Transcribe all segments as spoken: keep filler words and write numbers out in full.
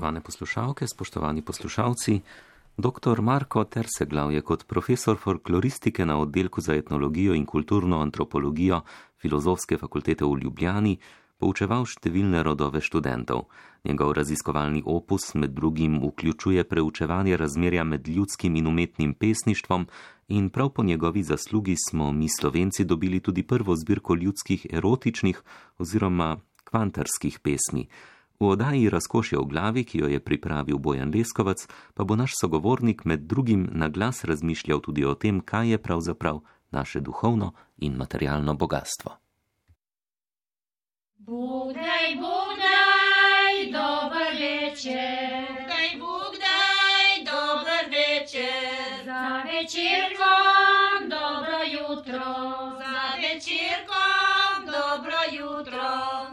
Spoštovane poslušalke, spoštovani poslušalci, doktor Marko Terseglav je kot profesor folkloristike na oddelku za etnologijo in kulturno antropologijo Filozofske fakultete v Ljubljani poučeval številne rodove študentov. Njegov raziskovalni opus med drugim vključuje preučevanje razmerja med ljudskim in umetnim pesništvom in prav po njegovi zaslugi smo mi Slovenci dobili tudi prvo zbirko ljudskih erotičnih oziroma kvantarskih pesmi. V oddaji Razkošje v glavi, ki jo je pripravil Bojan Leskovac, pa bo naš sogovornik med drugim na glas razmišljal tudi o tem, kaj je pravzaprav naše duhovno in materialno bogatstvo. Bugdaj, bugdaj, dober večer. Bugdaj, bugdaj, dober večer. Za večerkom dobro jutro. Za večerkom dobro jutro.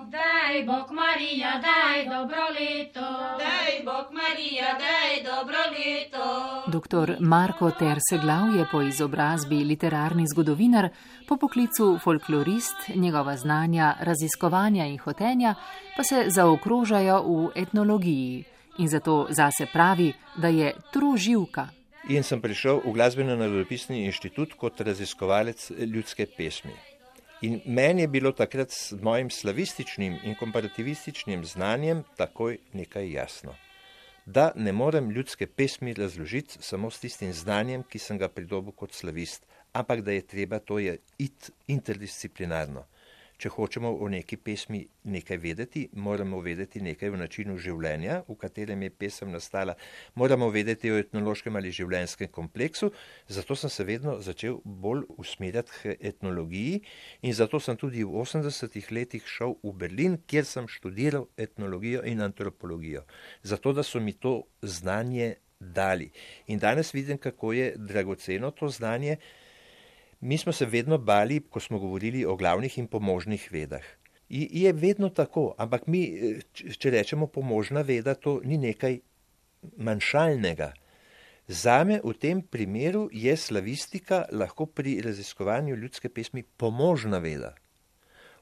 Daj Bog Marija, daj dobro leto. Daj Bog Marija, daj dobro leto. Doktor Marko Terseglav je po izobrazbi literarni zgodovinar, po poklicu folklorist, njegova znanja, raziskovanja in hotenja pa se zaokrožajo v etnologiji in zato zase pravi, da je troživka. In sem prišel v Glasbeno-narodopisni inštitut kot raziskovalec ljudske pesmi. In meni je bilo takrat s mojim slavističnim in komparativističnim znanjem takoj nekaj jasno. Da ne morem ljudske pesmi razložiti samo s tistim znanjem, ki sem ga pridobil kot slavist, ampak da je treba, to je iti interdisciplinarno. Če hočemo o neki pesmi nekaj vedeti, moramo vedeti nekaj o načinu življenja, v katerem je pesem nastala, moramo vedeti o etnološkem ali življenjskem kompleksu, zato sem se vedno začel bolj usmerjati k etnologiji in zato sem tudi v osemdesetih letih šel v Berlin, kjer sem študiral etnologijo in antropologijo, zato da so mi to znanje dali. In danes vidim, kako je dragoceno to znanje. Mi smo se vedno bali, ko smo govorili o glavnih in pomožnih vedah. I je vedno tako, ampak mi, če rečemo pomožna veda, to ni nekaj manjšalnega. Zame v tem primeru je slavistika lahko pri raziskovanju ljudske pesmi pomožna veda.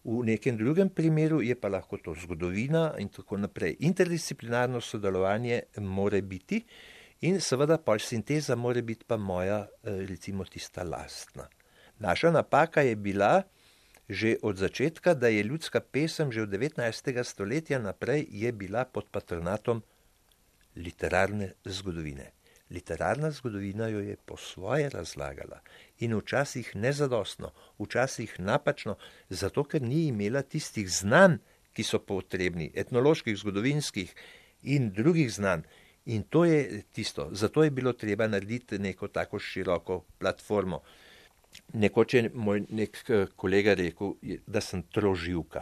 V nekem drugem primeru je pa lahko to zgodovina in tako naprej. Interdisciplinarno sodelovanje more biti in seveda pol sinteza more biti pa moja, recimo tista lastna. Naša napaka je bila že od začetka, da je ljudska pesem že od devetnajstega stoletja naprej je bila pod patronatom literarne zgodovine. Literarna zgodovina jo je po svoje razlagala in včasih nezadostno, včasih napačno, zato ker ni imela tistih znanj, ki so potrebni, etnoloških, zgodovinskih in drugih znanj. In to je tisto, zato je bilo treba narediti neko tako široko platformo. Nekoč je moj nek kolega rekel, da sem troživka.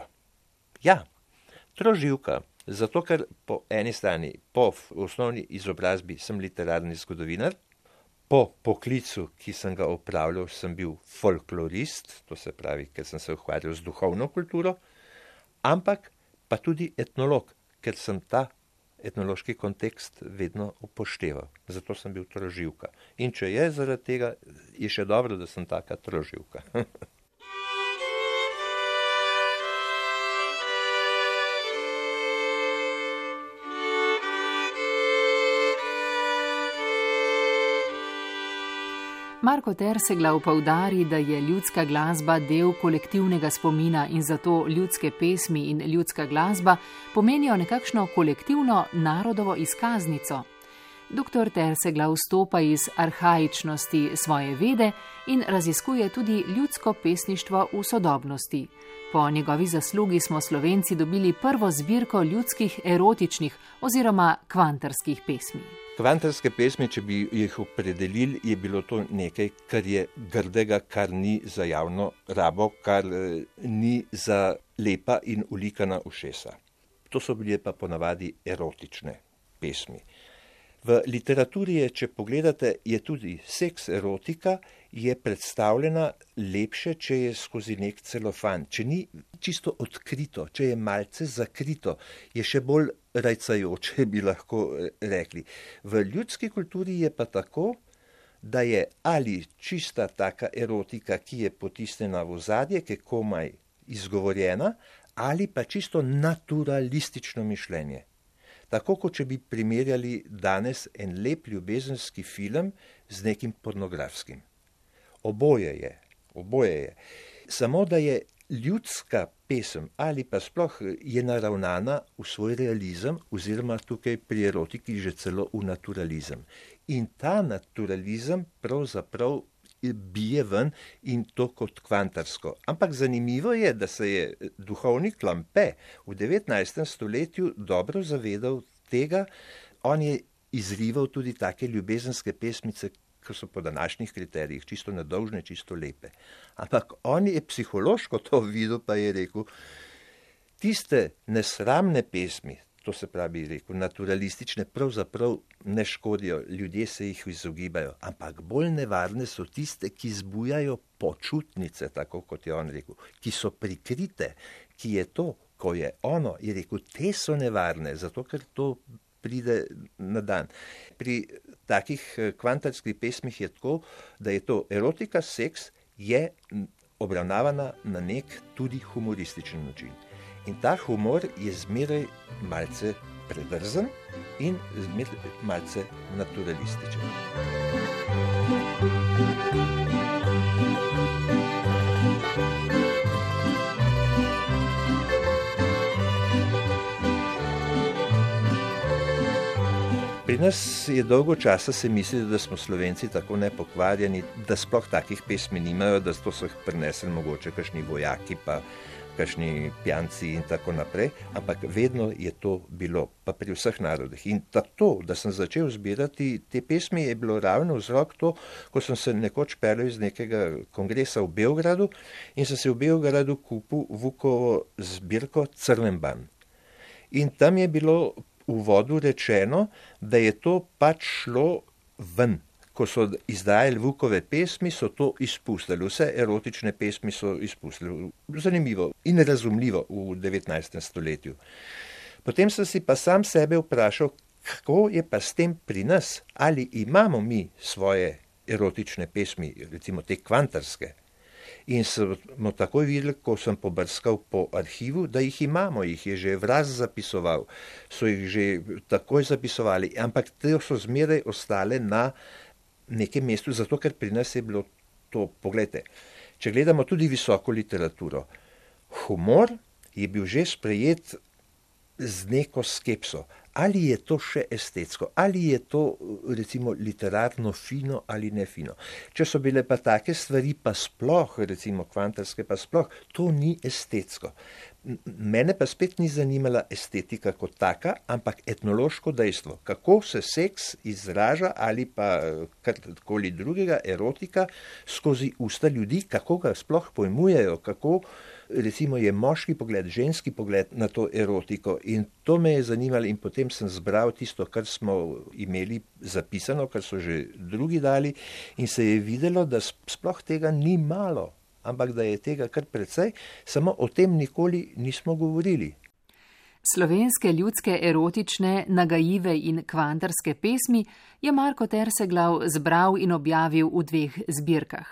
Ja, troživka, zato ker po eni strani, po osnovni izobrazbi sem literarni zgodovinar, po poklicu, ki sem ga opravljal, sem bil folklorist, to se pravi, ker sem se ukvarjal z duhovno kulturo, ampak pa tudi etnolog, ker sem ta etnološki kontekst vedno upošteval. Zato sem bil troživka. In če je zaradi tega, je še dobro, da sem taka troživka. Marko Terseglav poudari, da je ljudska glasba del kolektivnega spomina in zato ljudske pesmi in ljudska glasba pomenijo nekakšno kolektivno narodovo izkaznico. Doktor Terseglav stopa iz arhaičnosti svoje vede in raziskuje tudi ljudsko pesništvo v sodobnosti. Po njegovi zaslugi smo Slovenci dobili prvo zbirko ljudskih erotičnih oziroma kvantarskih pesmi. Kvantarske pesmi, če bi jih opredelili, je bilo to nekaj, kar je grdega, kar ni za javno rabo, kar ni za lepa in ulikana ušesa. To so bile pa ponavadi erotične pesmi. V literaturi je, če pogledate, je tudi seks erotika, je predstavljena lepše, če je skozi nek celofan. Če ni čisto odkrito, če je malce zakrito, je še bolj rajcajoče, bi lahko rekli. V ljudski kulturi je pa tako, da je ali čista taka erotika, ki je potisnjena v ozadje, ki je komaj izgovorjena, ali pa čisto naturalistično mišljenje. Tako kot če bi primerjali danes en lep ljubezenski film z nekim pornografskim. Oboje je, oboje je. Samo da je ljudska pesem ali pa sploh je naravnana v svoj realizem oziroma tukaj pri erotiki že celo v naturalizem. In ta naturalizem pravzaprav bije ven in to kot kvantarsko. Ampak zanimivo je, da se je duhovnik Lampe v devetnajstem stoletju dobro zavedal tega. On je izrival tudi take ljubezenske pesmice, ki so po današnjih kriterijih čisto nedolžne, čisto lepe. Ampak on je psihološko to videl, pa je rekel, tiste nesramne pesmi, to se pravi, rekel, naturalistične, pravzaprav ne škodijo, ljudje se jih izogibajo, ampak bolj nevarne so tiste, ki zbujajo počutnice, tako kot je on rekel, ki so prikrite, ki je to, ko je ono, je rekel, te so nevarne, zato ker to pride na dan. Pri takih kvantarskih pesmih je tako, da je to erotika, seks, je obravnavana na nek tudi humorističen način. In ta humor je zmeraj malce predrzen in zmeraj malce naturalističen. Pri nas je dolgo časa se mislili, da smo Slovenci tako nepokvarjeni, da sploh takih pesmi nimajo, da to so jih prinesli mogoče kakšni vojaki pa kakšni pijanci in tako naprej, ampak vedno je to bilo, pa pri vseh narodih. In to, da sem začel zbirati te pesmi, je bilo ravno vzrok to, ko sem se nekoč peljal iz nekega kongresa v Beogradu in sem se v Beogradu kupil Vukovo zbirko Crnemban. In tam je bilo v uvodu rečeno, da je to pač šlo ven. Ko so izdajali Vukove pesmi, so to izpustili. Vse erotične pesmi so izpustili. Zanimivo in razumljivo v devetnajstem stoletju. Potem sem si pa sam sebe vprašal, kako je pa s tem pri nas? Ali imamo mi svoje erotične pesmi, recimo te kvantarske? In smo takoj videli, ko sem pobrskal po arhivu, da jih imamo, jih je že Vraz zapisoval, so jih že takoj zapisovali, ampak te so zmeraj ostale na nekem mestu, zato ker pri nas je bilo to, poglejte, če gledamo tudi visoko literaturo, humor je bil že sprejet z neko skepso. Ali je to še estetsko, ali je to recimo literarno fino ali ne fino. Če so bile pa take stvari pa sploh, recimo kvantarske pa sploh, to ni estetsko. Mene pa spet ni zanimala estetika kot taka, ampak etnološko dejstvo, kako se seks izraža ali pa karkoli drugega, erotika, skozi usta ljudi, kako ga sploh pojmujejo, kako recimo je moški pogled, ženski pogled na to erotiko in to me je zanimalo in potem sem zbral tisto, kar smo imeli zapisano, kar so že drugi dali in se je videlo, da sploh tega ni malo, ampak da je tega kar precej, samo o tem nikoli nismo govorili. Slovenske ljudske erotične, nagajive in kvantarske pesmi je Marko Terseglav zbral in objavil v dveh zbirkah.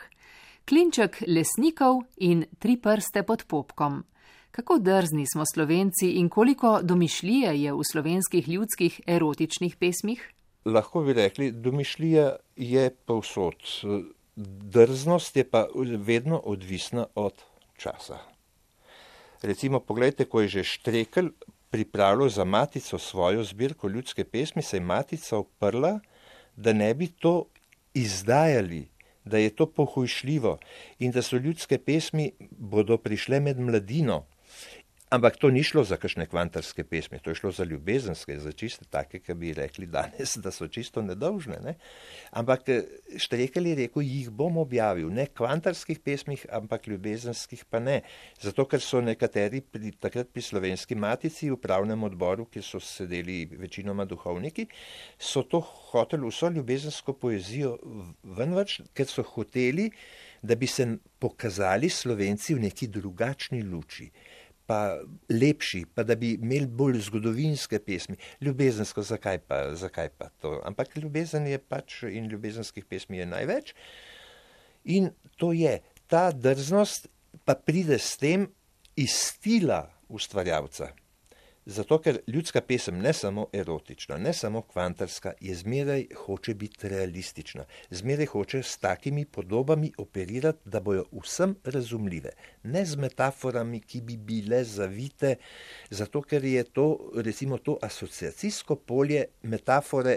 Klinček lesnikov in Tri prste pod popkom. Kako drzni smo Slovenci in koliko domišljije je v slovenskih ljudskih erotičnih pesmih? Lahko bi rekli, domišljija je povsod. Drznost je pa vedno odvisna od časa. Recimo, pogledajte, ko je že Štrekelj pripravljal za Matico svojo zbirko ljudske pesmi, se je Matica uprla, da ne bi to izdajali, da je to pohujšljivo in da so ljudske pesmi bodo prišle med mladino. Ampak to ni šlo za kakšne kvantarske pesmi, to je šlo za ljubezenske, za čiste take, ki bi rekli danes, da so čisto nedolžne. Ne? Ampak Štrekelj je rekel, jih bom objavil, ne kvantarskih pesmih, ampak ljubezenskih pa ne. Zato, ker so nekateri pri, takrat pri Slovenski Matici v upravnem odboru, kjer so sedeli večinoma duhovniki, so to hoteli vso ljubezensko poezijo venvrč, ker so hoteli, da bi se pokazali Slovenci v neki drugačni luči, pa lepši, pa da bi imeli bolj zgodovinske pesmi. Ljubezensko, zakaj pa, zakaj pa to? Ampak ljubezen je pač in ljubezenskih pesmi je največ. In to je, ta drznost pa pride s tem iz stila ustvarjalca. Zato, ker ljudska pesem ne samo erotična, ne samo kvantarska, je zmeraj hoče biti realistična. Zmeraj hoče s takimi podobami operirati, da bojo vsem razumljive. Ne z metaforami, ki bi bile zavite, zato ker je to, recimo to asociacijsko polje metafore,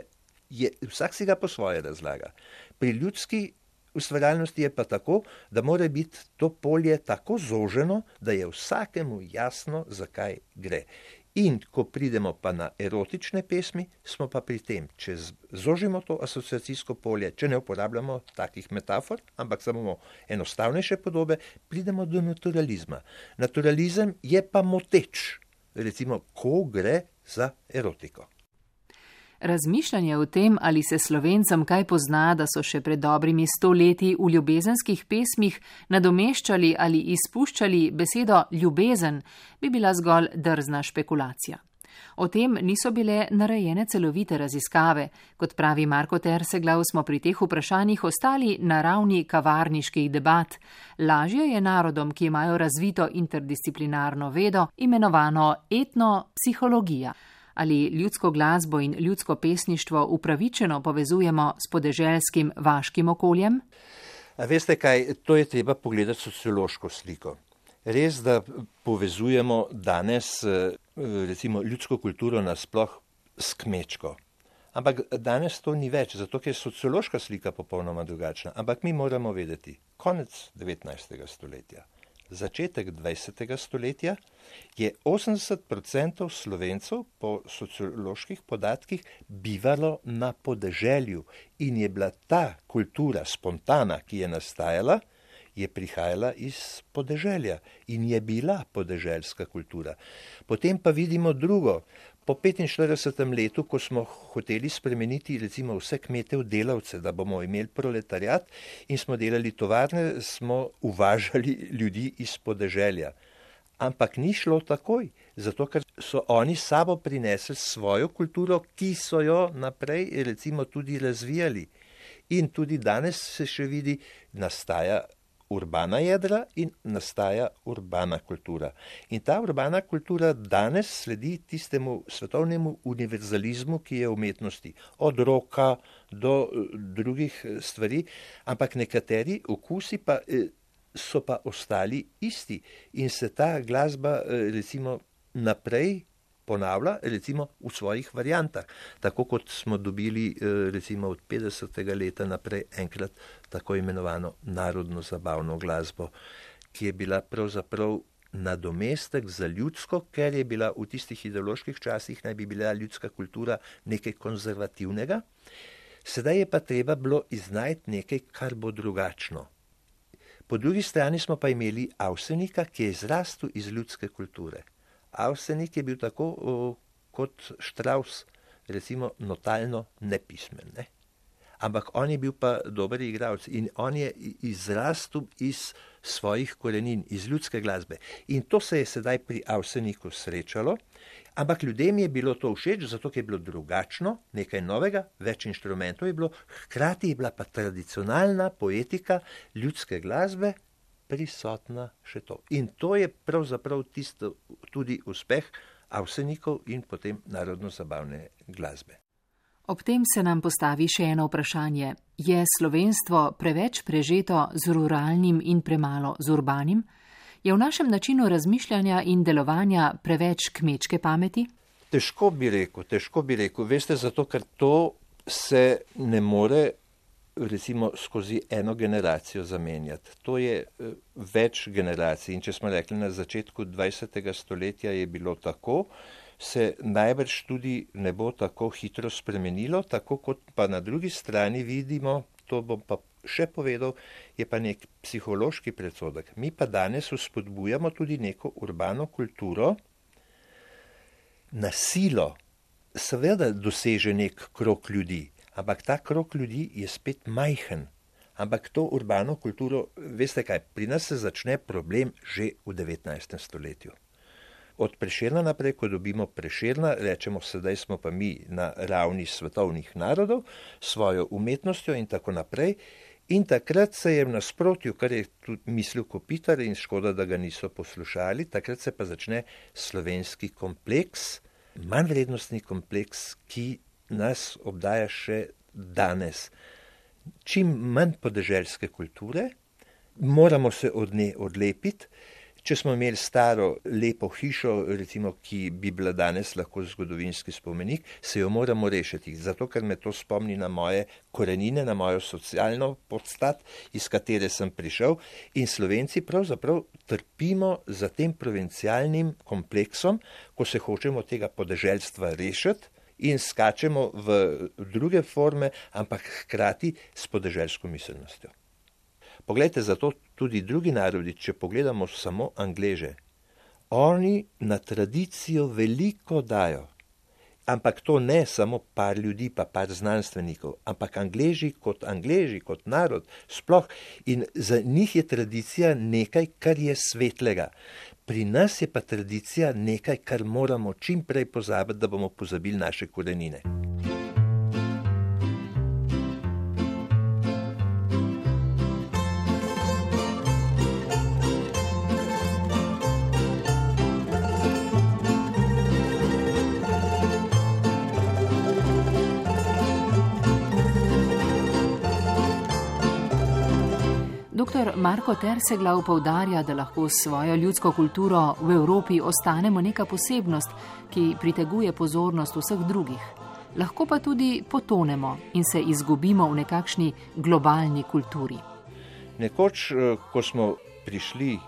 je, vsak si ga po svoje razlaga. Pri ljudski ustvarjalnosti je pa tako, da mora biti to polje tako zoženo, da je vsakemu jasno, zakaj gre. In ko pridemo pa na erotične pesmi, smo pa pri tem, če zožimo to asociacijsko polje, če ne uporabljamo takih metafor, ampak samo enostavnejše podobe, pridemo do naturalizma. Naturalizem je pa moteč, recimo, ko gre za erotiko. Razmišljanje o tem, ali se Slovencem kaj pozna, da so še pred dobrimi sto leti v ljubezenskih pesmih nadomeščali ali izpuščali besedo ljubezen, bi bila zgolj drzna špekulacija. O tem niso bile narejene celovite raziskave. Kot pravi Marko Terseglav, smo pri teh vprašanjih ostali na ravni kavarniških debat. Lažje je narodom, ki imajo razvito interdisciplinarno vedo, imenovano etnopsihologija. Ali ljudsko glasbo in ljudsko pesništvo upravičeno povezujemo s podeželskim vaškim okoljem? A veste kaj, to je treba pogledati sociološko sliko. Res, da povezujemo danes recimo ljudsko kulturo nasploh s kmečko. Ampak danes to ni več, zato ker je sociološka slika popolnoma drugačna. Ampak mi moramo vedeti, konec devetnajstega stoletja, začetek dvajsetega stoletja je osemdeset procentov Slovencev po socioloških podatkih bivalo na podeželju in je bila ta kultura spontana, ki je nastajala, je prihajala iz podeželja in je bila podeželska kultura. Potem pa vidimo drugo. Po petinštiridesetem letu, ko smo hoteli spremeniti recimo vse kmete v delavce, da bomo imeli proletariat in smo delali tovarne, smo uvažali ljudi iz podeželja. Ampak ni šlo takoj, zato ker so oni s sabo prinesli svojo kulturo, ki so jo naprej recimo tudi razvijali. In tudi danes se še vidi, nastaja urbana jedra in nastaja urbana kultura. In ta urbana kultura danes sledi tistemu svetovnemu univerzalizmu, ki je v umetnosti, od roka do drugih stvari, ampak nekateri okusi pa so pa ostali isti in se ta glasba recimo naprej ponavlja, recimo v svojih variantah. Tako kot smo dobili recimo od petdesetega leta naprej enkrat tako imenovano narodno zabavno glasbo, ki je bila pravzaprav nadomestek za ljudsko, ker je bila v tistih ideoloških časih, naj bi bila ljudska kultura nekaj konzervativnega. Sedaj je pa treba bilo iznajti nekaj, kar bo drugačno. Po drugi strani smo pa imeli Avsenika, ki je izrastel iz ljudske kulture. Avsenik je bil tako o, kot Štravs, recimo notalno nepismen, ne? Ampak on je bil pa dober igralec in on je izrastel iz svojih korenin, iz ljudske glasbe. In to se je sedaj pri Avseniku srečalo, ampak ljudem je bilo to všeč, zato ker je bilo drugačno, nekaj novega, več inštrumentov je bilo, hkrati je bila pa tradicionalna poetika ljudske glasbe prisotna še to. In to je pravzaprav tisto tudi uspeh Avsenikov in potem narodno-zabavne glasbe. Ob tem se nam postavi še eno vprašanje. Je slovenstvo preveč prežeto z ruralnim in premalo z urbanim? Je v našem načinu razmišljanja in delovanja preveč kmečke pameti? Težko bi rekel, težko bi rekel. Veste, zato ker to se ne more recimo skozi eno generacijo zamenjati. To je več generacij in če smo rekli na začetku dvajsetega stoletja je bilo tako, se najbrž tudi ne bo tako hitro spremenilo, tako kot pa na drugi strani vidimo, to bom pa še povedal, je pa nek psihološki predsodek. Mi pa danes vzpodbujamo tudi neko urbano kulturo, na silo seveda doseže nek krog ljudi, ampak ta krog ljudi je spet majhen. Ampak to urbano kulturo, veste kaj, pri nas se začne problem že v devetnajstem stoletju. Od Prešerna naprej, ko dobimo Prešerna, rečemo, sedaj smo pa mi na ravni svetovnih narodov, svojo umetnostjo in tako naprej. In takrat se je v nasprotju, kar je tudi mislil Kopitar in škoda, da ga niso poslušali, takrat se pa začne slovenski kompleks, manjvrednostni kompleks, ki nas obdaja še danes. Čim manj podeželske kulture, moramo se od nje odlepiti. Če smo imeli staro, lepo hišo, recimo, ki bi bila danes lahko zgodovinski spomenik, se jo moramo rešiti, zato ker me to spomni na moje korenine, na mojo socialno podstat, iz katere sem prišel, in Slovenci pravzaprav trpimo za tem provincialnim kompleksom, ko se hočemo tega podeželstva rešiti in skačemo v druge forme, ampak hkrati s podeželsko miselnostjo. Poglejte, zato tudi drugi narodi, če pogledamo samo Angleže, oni na tradicijo veliko dajo, ampak to ne samo par ljudi, pa par znanstvenikov, ampak Angleži kot Angleži, kot narod, sploh, in za njih je tradicija nekaj, kar je svetlega. Pri nas je pa tradicija nekaj, kar moramo čim prej pozabiti, da bomo pozabili naše korenine. Doktor Marko Terseglav poudarja, da lahko s svojo ljudsko kulturo v Evropi ostanemo neka posebnost, ki priteguje pozornost vseh drugih. Lahko pa tudi potonemo in se izgubimo v nekakšni globalni kulturi. Nekoč, ko smo prišli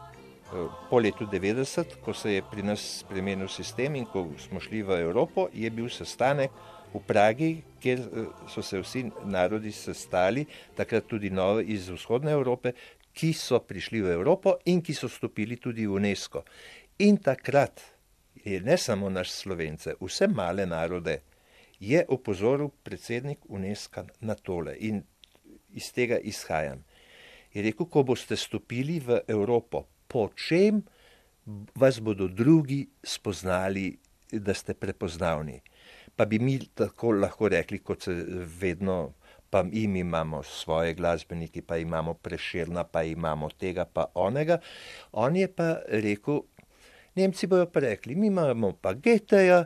po letu devetdeset, ko se je pri nas spremenil sistem in ko smo šli v Evropo, je bil sestanek v Pragi, kjer so se vsi narodi sestali, takrat tudi novi iz vzhodne Evrope, ki so prišli v Evropo in ki so stopili tudi v UNESCO. In takrat je ne samo naš Slovence, vse male narode je opozoril predsednik UNESCO na tole in iz tega izhajam. Je rekel, ko boste stopili v Evropo, po čem vas bodo drugi spoznali, da ste prepoznavni. Pa bi mi tako lahko rekli, kot se vedno, pa mi imamo svoje glasbeniki, pa imamo Prešerna, pa imamo tega, pa onega. On je pa rekel, Nemci bojo pa rekli, mi imamo pa Goetheja,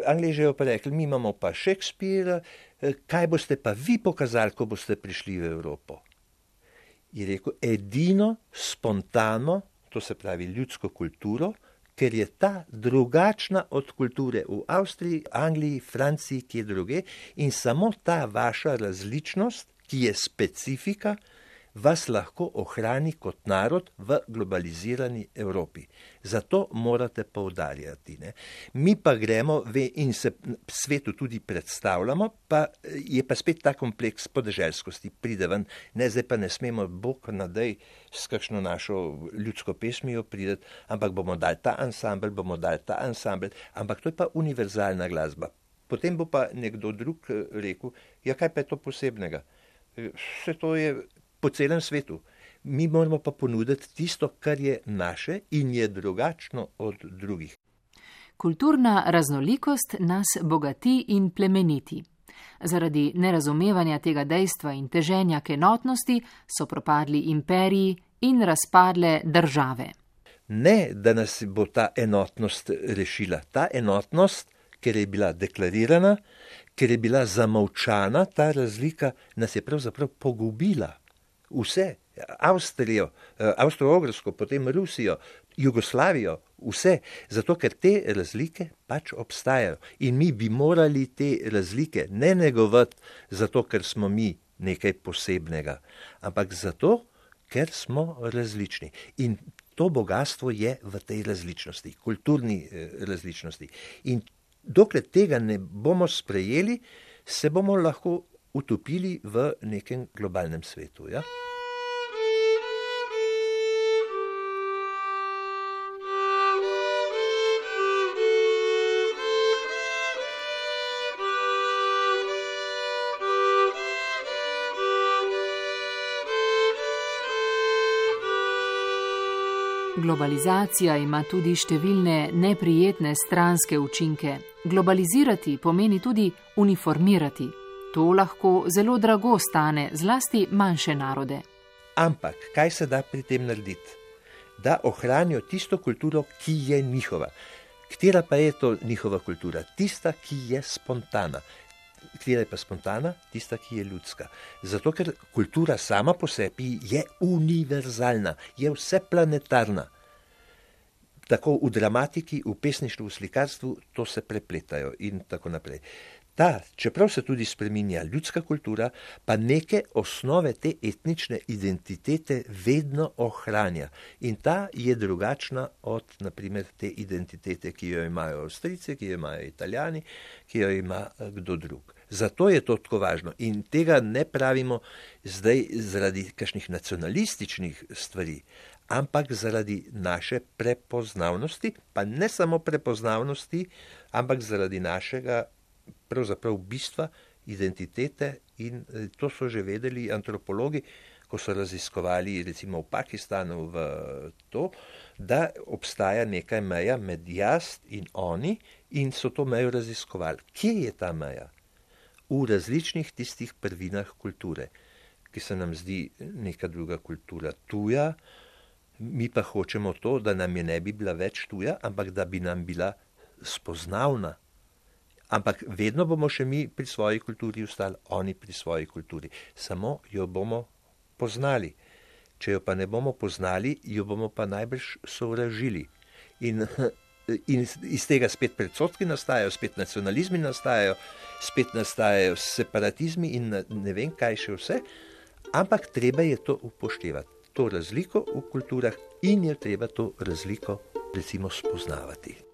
Angleži bojo pa rekli, mi imamo pa Shakespearea, kaj boste pa vi pokazali, ko boste prišli v Evropo? Je rekel, edino spontano, to se pravi ljudsko kulturo, ker je ta drugačna od kulture v Avstriji, Angliji, Franciji, kje druge, in samo ta vaša različnost, ki je specifika, vas lahko ohrani kot narod v globalizirani Evropi. Zato morate poudarjati. Ne? Mi pa gremo in se svetu tudi predstavljamo, pa je pa spet ta kompleks podeželskosti pride ven. Ne, zdaj pa ne smemo bog nadej s kakšno našo ljudsko pesmijo prideti, ampak bomo dali ta ansambel, bomo dali ta ansambel, ampak to je pa univerzalna glasba. Potem bo pa nekdo drug rekel, ja, kaj pa je to posebnega? Vse to je po celem svetu. Mi moramo pa ponuditi tisto, kar je naše in je drugačno od drugih. Kulturna raznolikost nas bogati in plemeniti. Zaradi nerazumevanja tega dejstva in teženja k enotnosti so propadli imperiji in razpadle države. Ne, da nas bo ta enotnost rešila. Ta enotnost, ker je bila deklarirana, ker je bila zamolčana, ta razlika nas je pravzaprav pogubila. Vse, Avstrijo, Avstro-Ogrsko, potem Rusijo, Jugoslavijo, vse, zato ker te razlike pač obstajajo. In mi bi morali te razlike ne negovati zato, ker smo mi nekaj posebnega, ampak zato, ker smo različni. In to bogatstvo je v tej različnosti, kulturni različnosti. In dokler tega ne bomo sprejeli, se bomo lahko utopili v nekem globalnem svetu. Ja? Globalizacija ima tudi številne neprijetne stranske učinke. Globalizirati pomeni tudi uniformirati. To lahko zelo drago stane, zlasti manjše narode. Ampak, kaj se da pri tem narediti? Da ohranijo tisto kulturo, ki je njihova. Katera pa je to njihova kultura? Tista, ki je spontana. Katera je pa spontana? Tista, ki je ljudska. Zato, ker kultura sama po sebi je univerzalna, je vseplanetarna. Tako v dramatiki, v pesništvu, v slikarstvu, to se prepletajo in tako naprej. Ta, čeprav se tudi spreminja ljudska kultura, pa neke osnove te etnične identitete vedno ohranja. In ta je drugačna od, naprimer, te identitete, ki jo imajo Avstrijci, ki jo imajo Italijani, ki jo ima kdo drug. Zato je to tako važno. In tega ne pravimo zdaj zaradi kakšnih nacionalističnih stvari, ampak zaradi naše prepoznavnosti, pa ne samo prepoznavnosti, ampak zaradi našega pravzaprav bistva, identitete, in to so že vedeli antropologi, ko so raziskovali recimo v Pakistanu v to, da obstaja neka meja med jaz in oni, in so to mejo raziskovali. Kje je ta meja? V različnih tistih prvinah kulture, ki se nam zdi neka druga kultura tuja, mi pa hočemo to, da nam je ne bi bila več tuja, ampak da bi nam bila spoznavna. Ampak vedno bomo še mi pri svoji kulturi ostali, oni pri svoji kulturi. Samo jo bomo poznali. Če jo pa ne bomo poznali, jo bomo pa najbrž sovražili. In, in iz tega spet predsodki nastajajo, spet nacionalizmi nastajajo, spet nastajajo separatizmi in ne vem kaj še vse. Ampak treba je to upoštevati. To razliko v kulturah in je treba to razliko recimo spoznavati.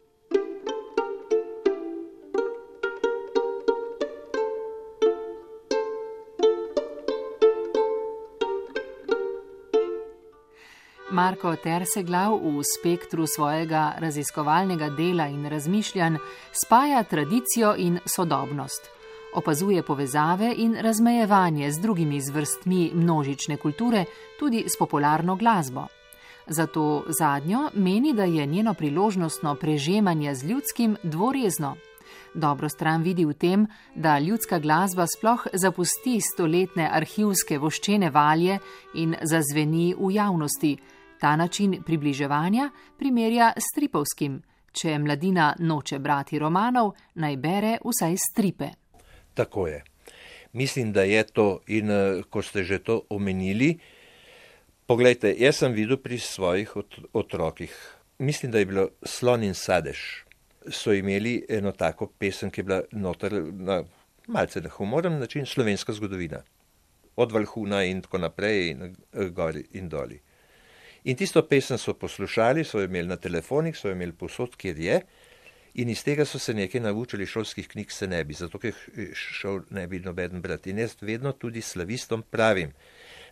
Marko Terseglav v spektru svojega raziskovalnega dela in razmišljanj spaja tradicijo in sodobnost. Opazuje povezave in razmejevanje z drugimi zvrstmi množične kulture, tudi s popularno glasbo. Zato zadnjo meni, da je njeno priložnostno prežemanje z ljudskim dvorezno. Dobro stran vidi v tem, da ljudska glasba sploh zapusti stoletne arhivske voščene valje in zazveni v javnosti. Ta način približevanja primerja s stripovskim. Če mladina noče brati romanov, naj bere vsaj stripe. Tako je. Mislim, da je to, in ko ste že to omenili, poglejte, jaz sem videl pri svojih ot- otrokih, mislim, da je bilo Slon in sadež, so imeli eno tako pesem, ki je bila noter na malce na humoren način, slovenska zgodovina. Od Valhuna in tako naprej, in gori in doli. In tisto pesem so poslušali, so imeli na telefonih, so imeli povsod, kjer je, in iz tega so se nekaj naučili, šolskih knjig se ne bi, zato ker šel ne bi nobeden brati. In jaz vedno tudi slavistom pravim,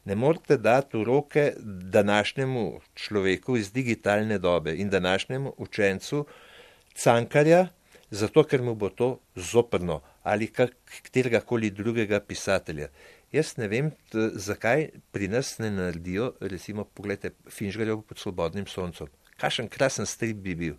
ne morete dati v roke današnjemu človeku iz digitalne dobe in današnjemu učencu Cankarja, zato ker mu bo to zoprno ali katerega-koli drugega pisatelja. Jaz ne vem, t- zakaj pri nas ne naredijo, recimo, pogledajte, Finžgarjev pod svobodnim soncem. Kakšen krasen strip bi bil.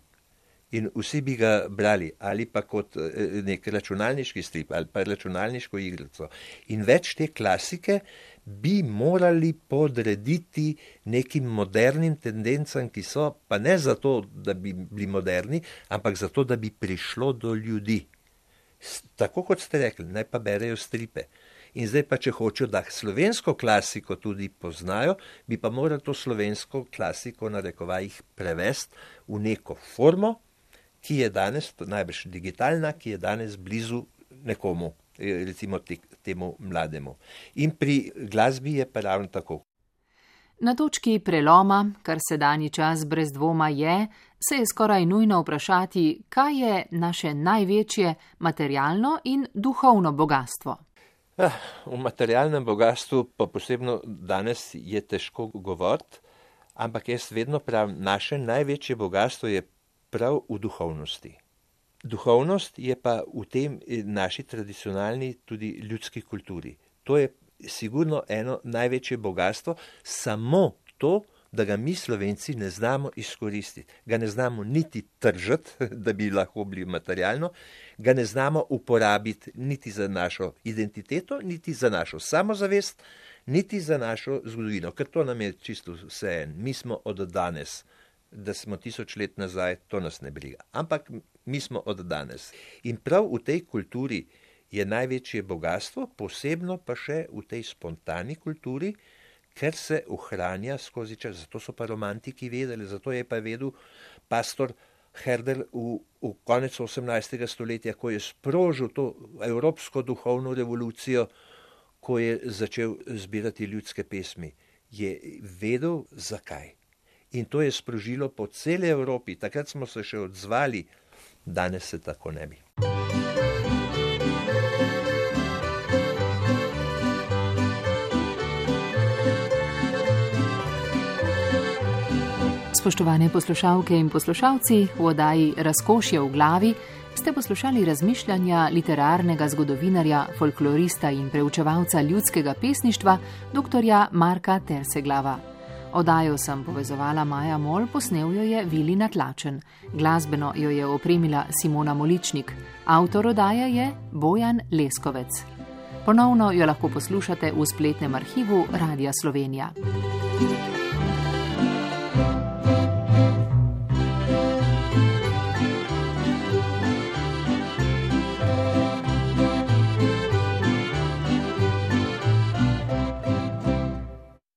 In vsi bi ga brali, ali pa kot eh, nek računalniški strip, ali pa računalniško igrico. In več te klasike bi morali podrediti nekim modernim tendencam, ki so, pa ne zato, da bi bili moderni, ampak zato, da bi prišlo do ljudi. S- Tako kot ste rekli, naj pa berejo stripe. In zdaj pa, če hočejo, da slovensko klasiko tudi poznajo, bi pa morali to slovensko klasiko na rekovajih prevesti v neko formo, ki je danes najbrž digitalna, ki je danes blizu nekomu, eh, recimo te, temu mlademu. In pri glasbi je pa ravno tako. Na točki preloma, kar sedanji čas brez dvoma je, se je skoraj nujno vprašati, kaj je naše največje materialno in duhovno bogastvo. Ah, o materialnem bogatstvu pa posebno danes je težko govoriti, ampak jaz vedno pravim, naše največje bogatstvo je prav v duhovnosti. Duhovnost je pa v tem naši tradicionalni tudi ljudski kulturi. To je sigurno eno največje bogatstvo, samo to, da ga mi Slovenci ne znamo izkoristiti. Ga ne znamo niti tržiti, da bi lahko bili materialno, ga ne znamo uporabiti niti za našo identiteto, niti za našo samozavest, niti za našo zgodovino, ker to nam je čisto vseeno. Mi smo od danes, da smo tisoč let nazaj, to nas ne briga. Ampak mi smo od danes. In prav v tej kulturi je največje bogatstvo, posebno pa še v tej spontani kulturi, ker se ohranja skozi čas. Zato so pa romantiki vedeli, zato je pa vedel pastor Herder v, v konec osemnajstega stoletja, ko je sprožil to evropsko duhovno revolucijo, ko je začel zbirati ljudske pesmi, je vedel zakaj. In to je sprožilo po celi Evropi. Takrat smo se še odzvali, danes se tako ne bi. Spoštovane poslušalke in poslušalci, v oddaji Razkošje v glavi ste poslušali razmišljanja literarnega zgodovinarja, folklorista in preučevalca ljudskega pesništva doktorja Marka Terseglava. Oddajo sem povezovala Maja Mol, posnel jo je Vili Natlačen. Glasbeno jo je opremila Simona Moličnik. Avtor oddaje je Bojan Leskovec. Ponovno jo lahko poslušate v spletnem arhivu Radia Slovenija.